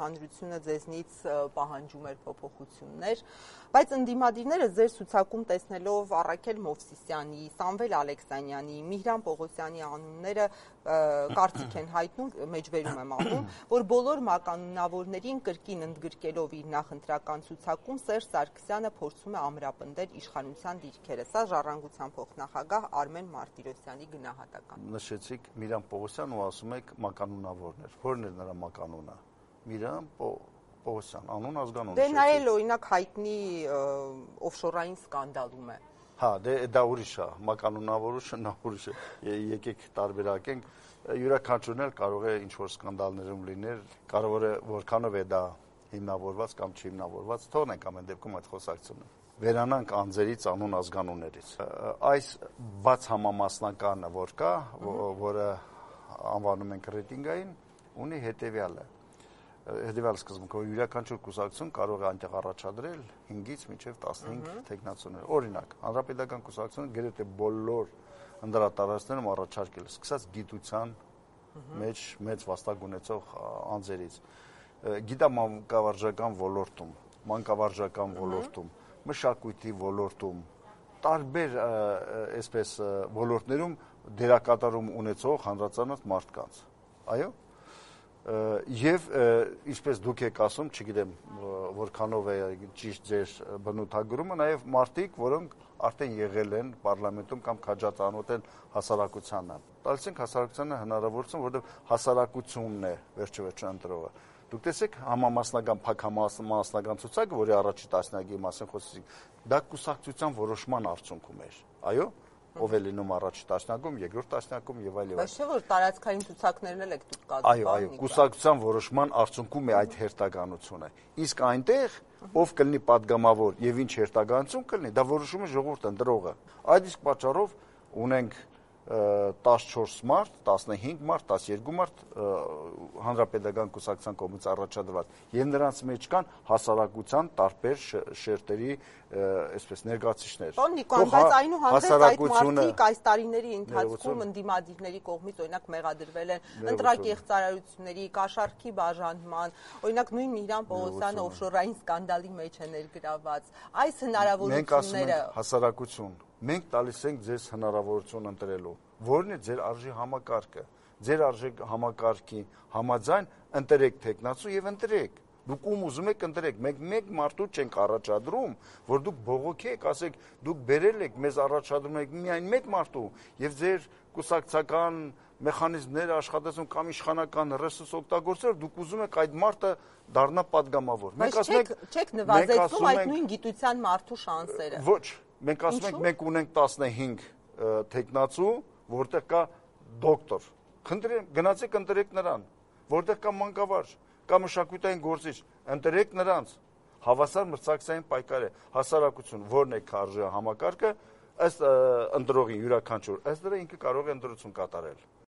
հանրությունը ձեզնից պահանջում էր փոփոխություններ, բայց ընդդիմադիրները ձեր ցուցակում տեսնելով Առաքել Մովսիսյանի, Սամվել Ալեքսանյանի, Միհրան Պողոսյանի անունները կարծիք են հայտնում, մեջբերում եմ անում, որ բոլոր մականունավորներին կրկին ընդգրկելով իր նախընտրական ցուցակում Սերժ Սարգսյանը փորձում է ամրապնդել իշխանության դիրքերը։ Սա Ժառանգության փոխնախագահ Արմեն Մարտիրոսյանի գնահատականն է։ Նշեցիք Միհրան Պողոսյան ու ասում եք մականունավորներ։ Որն է նրա մականունը։ Միհրան Պողոսյան, անուն ազգանուն։ Դե նա էլ օրինակ հայտնի օֆշորային սկանդալում է։ Հա, դա ուրիշ է, մականունավորությունը նա ուրիշ է։ Եկեք տարբերակենք, յուրաքանչյուրն էլ կարող է ինչ-որ սկանդալներում լինել, կարող է որքանով է դա հիմնավորված կամ չհիմնավորված, թողնենք ամեն դեպքում այդ խոսակցությունը։ Վերանանք անձերից, անուն ազգանուններից։ Այս բաց համամասնականը, որ կա, որը անվանում ենք ռեյտինգային, ունի հետևյալը։ Հետևյալ սկզբունքը, որ յուրաքանչյուր կուսակցություն կարող է այնտեղ առաջադրել 5-ից մինչև 15 թեկնածուներ։ Օրինակ, Հանրապետական կուսակցությունը գրեթե բոլոր ընդրատարածքներում առաջարկել, սկսած գիտության մեջ մեծ վաստակ ունեցող անձերից, գիտամանկավարժական ոլորտում, մանկավարժական ոլորտում, մշակույթի ոլորտում, տարբեր այսպես ոլորտներում դերակատարում ունեցող հանրացանց մարդկանց։ Այո։ Եվ ինչպես դուք եք ասում, չգիտեմ որքանով է ճիշտ ձեր բնութագրումը, նաև մարդիկ, որոնք արդեն եղել են պարլամենտում կամ քաջածանոթ են հասարակությանը։ Տալիս ենք հասարակությանը հնարավորություն, որովհետև հասարակությունն է վերջիվերջո ընտրողը։ Դուք տեսեք համամասնական, փակ համամասնական ցուցակը, որի առաջի տասնյակի մասին խոսեցինք, դա կուսակցության որոշման արդյունքում էր։ Այո։ Ով է լինում առաջի տասնյակում, երկրորդ տասնյակում եւ այլ եւ այլ։ Բայց չէ՞ որ տարածքային ցուցակներն էլ եք դուք կազմում։ Այո, կուսակցության որոշման արդյունքում է այդ հերթականությունը։ Իսկ այնտեղ ով կլինի падգամավոր եւ ինչ հերթականություն կլինի, դա որոշում է ժողովուրդ ընտրողը։ Այդ իսկ պատճառով ունենք 14 մարտ, 15 մարտ, 12 մարտ Հանրապետական կուսակցության կողմից առաջադրված եւ նրանց մեջ կան հասարակության տարբեր շերտերի այսպես ներկայացուցիչներ։ Պարոն Նիկոյան, բայց այնուհանդերձ այդ մարդիկ այս տարիների ընթացքում ընդդիմադիրների կողմից օրինակ մեղադրվել են ընտրակեղծարարությունների, կաշառքի բաժանման, օրինակ նույն Միհրան Պողոսյանը օֆշորային սկանդալի մեջ է ներգրավված։ Այս հնարավորությունները հասարակություն մենք տալիս ենք ձեզ հնարավորություն ընտրելու, որն է ձեր արժի համակարգը, ձեր արժի համակարգի համաձայն ընտրեք թեկնածու եւ ընտրեք։ Դուք ում ուզում եք ընտրեք, մենք մեկ մարդու չենք առաջադրում, որ դուք բողոքեք, ասեք, դուք բերել եք, մեզ առաջադրում եք միայն մեկ մարդու եւ ձեր կուսակցական մեխանիզմները աշխատեցում կամ իշխանական ռեսուրս օգտագործելով, դուք ուզում եք այդ մարդը դառնա падգամավոր։ Մենք ասում ենք, չեք նվազեցնում այդ նույն գիտության մարդու շանսերը։ Ոչ, մենք ասում ենք, մենք ունենք 15 թեկնածու, որտեղ կա դոկտոր։ Խնդրեմ, գնացեք ընտրեք նրան, որտեղ կա մանկավարժ, կա մշակութային գործիչ, ընտրեք նրանց։ Հավասար մրցակցային պայքար է, հասարակություն, որն է արժի համակարգը, ըստ ընտրողի յուրաքանչյուր, ըստ դրա ինքը կարող է ընտրություն կատարել։